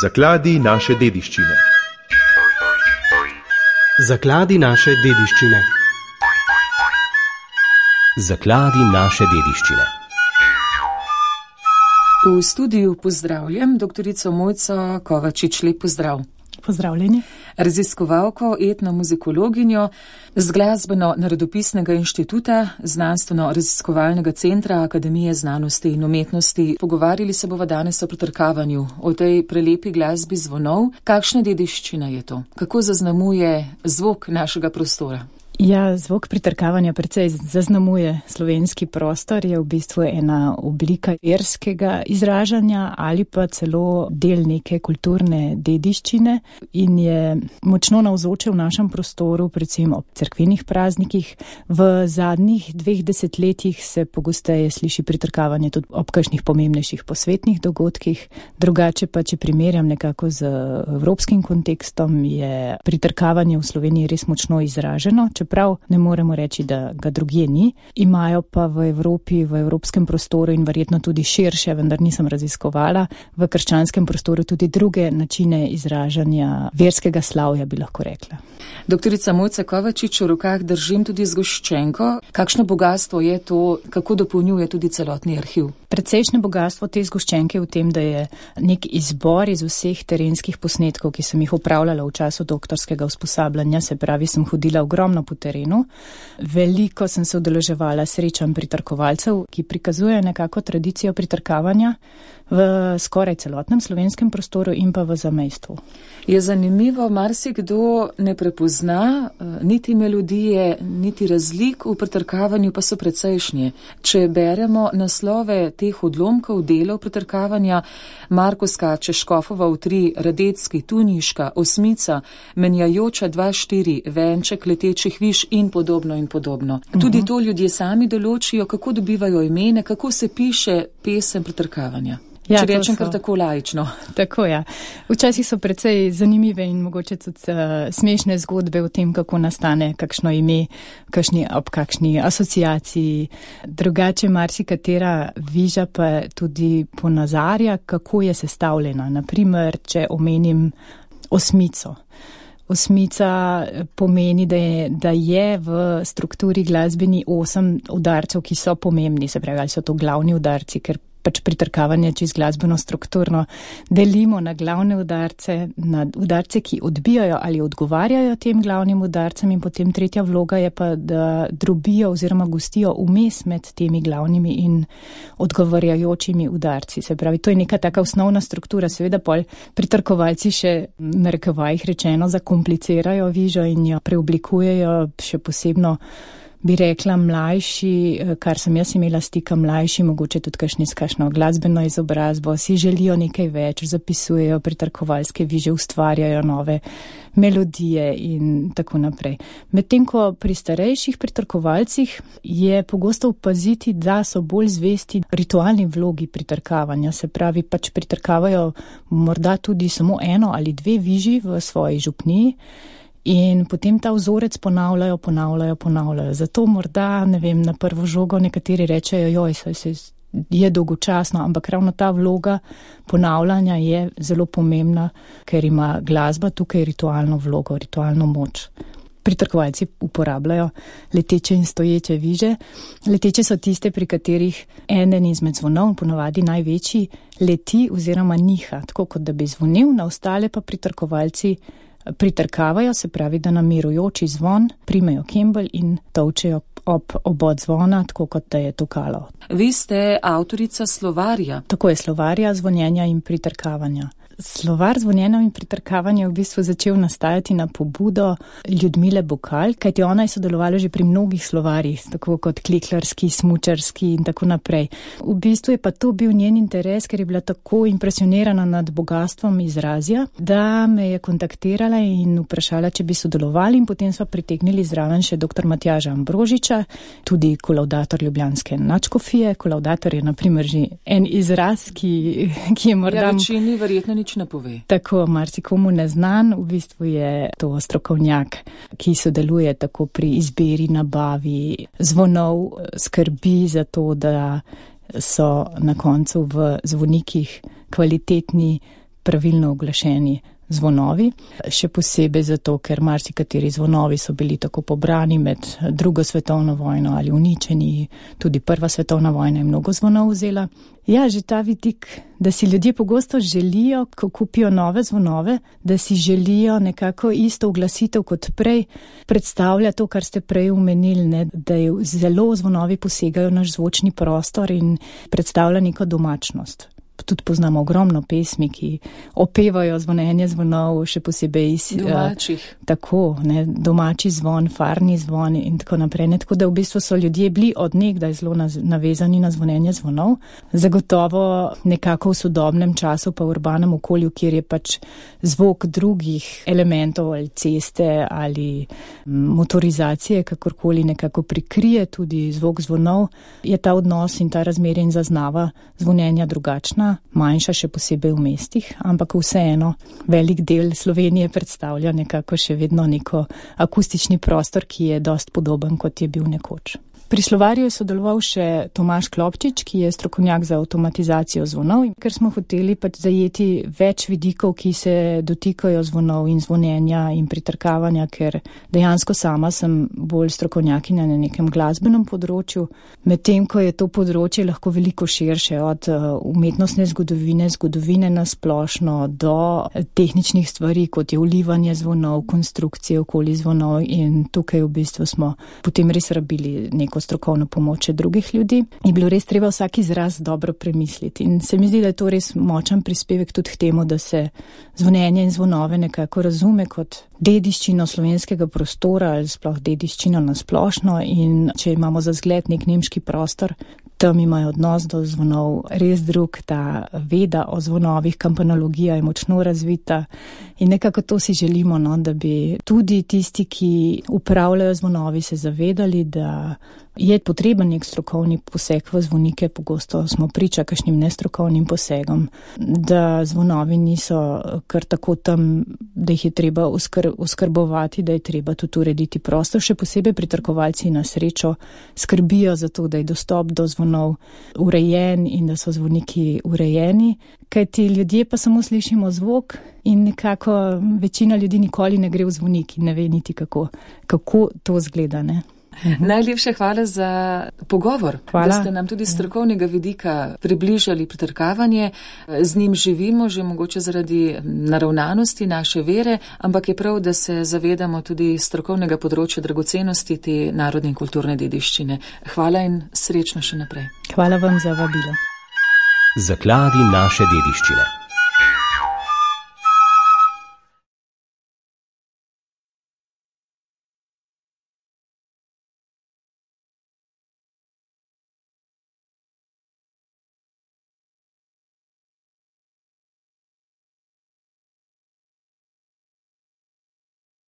Zakladi naše dediščine. Zakladi naše dediščine. Zakladi naše dediščine. V studiu pozdravljam doktorico Mojco Kovačič. Lep pozdrav. Pozdravljeni. Raziskovalko, etnomuzikologinjo z Glasbeno-narodopisnega inštituta, Znanstveno-raziskovalnega centra Akademije znanosti in umetnosti. Pogovarjali se bova danes o pritrkavanju, o tej prelepi glasbi zvonov. Kakšna dediščina je to? Kako zaznamuje zvok našega prostora? Ja, zvok pritrkavanja precej zaznamuje slovenski prostor, je v bistvu ena oblika verskega izražanja ali pa celo del neke kulturne dediščine in je močno navzoče v našem prostoru, predvsem ob cerkvenih praznikih. V zadnjih 2 desetletjih se pogosteje sliši pritrkavanje tudi ob kakšnih pomembnejših posvetnih dogodkih. Drugače pa, če primerjam nekako z evropskim kontekstom, je pritrkavanje v Sloveniji res močno izraženo. Čeprav ne moremo reči, da ga drugje ni. Imajo pa v Evropi, v evropskem prostoru in verjetno tudi širše, vendar nisem raziskovala, v krščanskem prostoru tudi druge načine izražanja verskega slavja, bi lahko rekla. Doktorica Mojca Kovačič, v rokah držim tudi zgoščenko. Kakšno bogatstvo je to, kako dopolnjuje tudi celotni arhiv? Precejšnje bogatstvo te zgoščenke v tem, da je nek izbor iz vseh terenskih posnetkov, ki sem jih upravljala v času doktorskega usposabljanja, se pravi, sem hodila ogromno po terenu. Veliko sem se udeleževala srečanj pritrkovalcev, ki prikazujejo nekako tradicijo pritrkavanja v skoraj celotnem slovenskem prostoru in pa v zamejstvu. Je zanimivo, marsikdo ne prepozna niti melodije, niti razlik v pritrkavanju, pa so precejšnje. Če beremo naslove teh odlomkov delov pritrkavanja, Marko skače, Škofova v 3, Radecki, Tuniška, Osmica, Menjajoča 2-4, Venček letečih viš in podobno in podobno. Tudi to ljudje sami določijo, kako dobivajo imene, kako se piše pesem pritrkavanja. Ja, če rečem kar tako laično. Tako, ja. Včasih so precej zanimive in mogoče tudi smešne zgodbe o tem, kako nastane kakšno ime, ob kakšni asociaciji. Drugače marsikatera viža pa tudi ponazarja, kako je sestavljena. Naprimer, če omenim osmico. Osmica pomeni, da je v strukturi glasbeni 8 udarcev, ki so pomembni, se pravi, ali so to glavni udarci, ker pač pritrkavanje čez glasbeno strukturno delimo na glavne udarce, na udarce, ki odbijajo ali odgovarjajo tem glavnim udarcem, in potem tretja vloga je pa, da drobijo oziroma gostijo vmes med temi glavnimi in odgovarjajočimi udarci. Se pravi, to je neka taka osnovna struktura. Seveda pol pritrkovalci še, narekovajih rečeno, zakomplicirajo vižo in jo preoblikujejo, še posebno bi rekla mlajši, kar sem jaz imela stika, mlajši, mogoče tudi kakšno glasbeno izobrazbo, si želijo nekaj več, zapisujejo pritrkovalske viže, ustvarjajo nove melodije in tako naprej. Medtem ko pri starejših pritrkovalcih je pogosto opaziti, da so bolj zvesti ritualni vlogi pritrkavanja, se pravi, pač pritrkavajo morda tudi samo 1 ali 2 viži v svoji župniji, in potem ta vzorec ponavljajo. Zato morda, ne vem, na prvo žogo nekateri rečejo, je dolgočasno, ampak ravno ta vloga ponavljanja je zelo pomembna, ker ima glasba tukaj ritualno vlogo, ritualno moč. Pritrkovalci uporabljajo leteče in stoječe viže. Leteče so tiste, pri katerih eden izmed zvonov, ponavadi največji, leti oziroma niha, tako kot da bi zvonil, na ostale pa pritrkovalci pritrkavajo, se pravi, da na mirujoči zvon primejo kembelj in tolčejo ob obod zvona, tako kot da je tokalo. Vi ste avtorica slovarja. Tako je, slovarja zvonjenja in pritrkavanja. Slovar zvonjenja in pritrkavanja je v bistvu začel nastajati na pobudo Ljudmile Bukal, kajti ona je sodelovala že pri mnogih slovarjih, tako kot kliklarski, smučarski in tako naprej. V bistvu je pa to bil njen interes, ker je bila tako impresionirana nad bogatstvom izrazja, da me je kontaktirala in vprašala, če bi sodelovali, in potem sva pritegnili zraven še dr. Matjaža Ambrožiča, tudi kolavdator ljubljanske nadškofije. Kolavdator je na primer že en izraz, ki je morda... Ja, večini verjetno nič ne pove. Tako, marsikomu neznan, v bistvu je to strokovnjak, ki sodeluje tako pri izbiri, nabavi zvonov, skrbi za to, da so na koncu v zvonikih kvalitetni pravilno oglašeni zvonovi, še posebej zato, ker marsikateri zvonovi so bili tako pobrani med drugo svetovno vojno ali uničeni, tudi prva svetovna vojna je mnogo zvonov vzela. Ja, že ta vidik, da si ljudje pogosto želijo, ko kupijo nove zvonove, da si želijo nekako isto oglasitev kot prej, predstavlja to, kar ste prej omenili, ne, da je zelo zvonovi posegajo naš zvočni prostor in predstavlja neko domačnost. Tudi poznamo ogromno pesmi, ki opevajo zvonjenje zvonov, še posebej iz domačih. Tako, ne, domači zvon, farni zvon in tako naprej. Ne, tako da v bistvu so ljudje bili od nekdaj zelo navezani na zvonjenje zvonov. Zagotovo nekako v sodobnem času pa v urbanem okolju, kjer je pač zvok drugih elementov ali ceste ali motorizacije, kakorkoli nekako prikrije tudi zvok zvonov, je ta odnos in ta razmerje in zaznava zvonjenja drugačna. Manjša še posebej v mestih, ampak vseeno velik del Slovenije predstavlja nekako še vedno neko akustični prostor, ki je dost podoben, kot je bil nekoč. Pri slovarju je sodeloval še Tomaž Klopčič, ki je strokovnjak za avtomatizacijo zvonov, ker smo hoteli pač zajeti več vidikov, ki se dotikajo zvonov in zvonjenja in pritrkavanja, ker dejansko sama sem bolj strokovnjakinja na nekem glasbenem področju, medtem ko je to področje lahko veliko širše, od umetnostne zgodovine na splošno do tehničnih stvari, kot je vlivanje zvonov, konstrukcije okoli zvonov, in tukaj v bistvu smo potem res rabili neko strokovno pomoč drugih ljudi. Je bilo res treba vsak izraz dobro premisliti in se mi zdi, da je to res močan prispevek tudi k temu, da se zvonjenje in zvonove nekako razume kot dediščino slovenskega prostora ali sploh dediščino na splošno, in če imamo za zgled nek nemški prostor, tam imajo odnos do zvonov res drug, ta veda o zvonovih, kampanologija je močno razvita in nekako to si želimo, no, da bi tudi tisti, ki upravljajo zvonovi, se zavedali, da je potreben nek strokovni poseg v zvonike, pogosto smo priča kakšnim nestrokovnim posegom, da zvonovi niso kar tako tam, da jih je treba oskrbovati, da je treba tudi urediti prostor, še posebej pritrkovalci na srečo skrbijo za to, da je dostop do zvonov urejen in da so zvoniki urejeni, kajti ljudje pa samo slišimo zvok in nekako večina ljudi nikoli ne gre v zvonik in ne ve niti kako to zgleda, ne. Najlepše hvala za pogovor, hvala. Da ste nam tudi strokovnega vidika približali pritrkavanje. Z njim živimo že mogoče zaradi naravnanosti naše vere, ampak je prav, da se zavedamo tudi strokovnega področja dragocenosti te narodne in kulturne dediščine. Hvala in srečno še naprej. Hvala vam za vabilo. Zakladi naše dediščine.